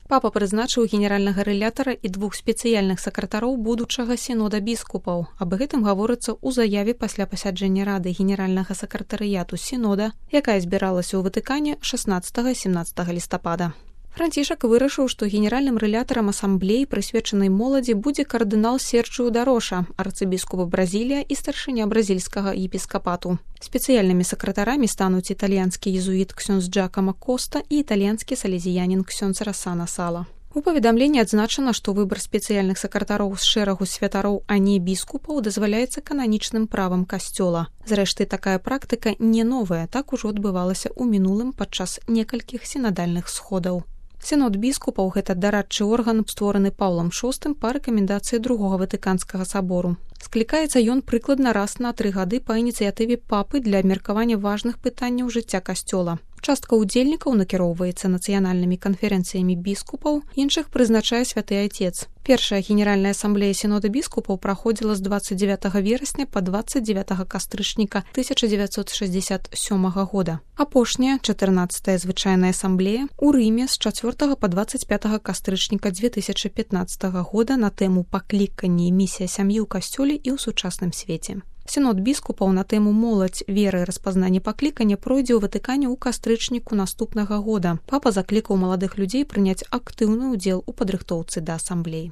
Папа прызначыў генеральнага рэлятара і 2 спецыяльных сакратароў будучага сінода біскупаў. Аб гэтым гаворыцца ў заяве пасля пасяджэння рады генеральнага сакратарыяту сінода, якая збіралася ў Ватыкане 16-17 лістапада. Францішак вырашыў, што генеральным рэлятарам асамблеі, прысвечанай моладзі, будзе кардынал Серджіо Дароша, арцыбіскуп Бразілія і старшыня бразільскага епіскапату. Спецыяльнымі сакратарамі стануць італьянскі езуіт ксёндз Джакама Коста і італьянскі салезіянін ксёндз Расана Сала. У паведамленні адзначана, што выбар спецыяльных сакратароў з шэрагу святароў, а не біскупаў, дазваляецца кананічным правам касцёла. Зрэшты, такая практыка не новая, так ужо адбывалася ў мінулым падчас некалькіх сінадальных сходаў. Сінод біскупаў – гэта дарадчы орган, створаны Паўлам VI па рэкамендацыі Другога Ватыканскага сабору. Склікаецца ён прыкладна раз на 3 гады па ініцыятыве папы для абмеркавання важных пытанняў жыцця касцёла. Частка ўдзельнікаў накіроўваецца нацыянальнымі канферэнцыямі біскупаў, іншых прызначае святы Айцец. Першая генеральная асамблея сінода біскупаў праходзіла з 29 верасня па 29 кастрычніка 1967 года. Апошняя, 14-я звычайная асамблея, у Рыме з 4 па 25 кастрычніка 2015 года на тэму «Пакліканне і місія сям'і ў касцёле і ў сучасным свеце». Сінод біскупаў на тэму «Моладзь, вера і распазнанне паклікання» пройдзе ў Ватыкане ў кастрычніку наступнага года. Папа заклікаў маладых людзей прыняць актыўны ўдзел у падрыхтоўцы да асамблеі.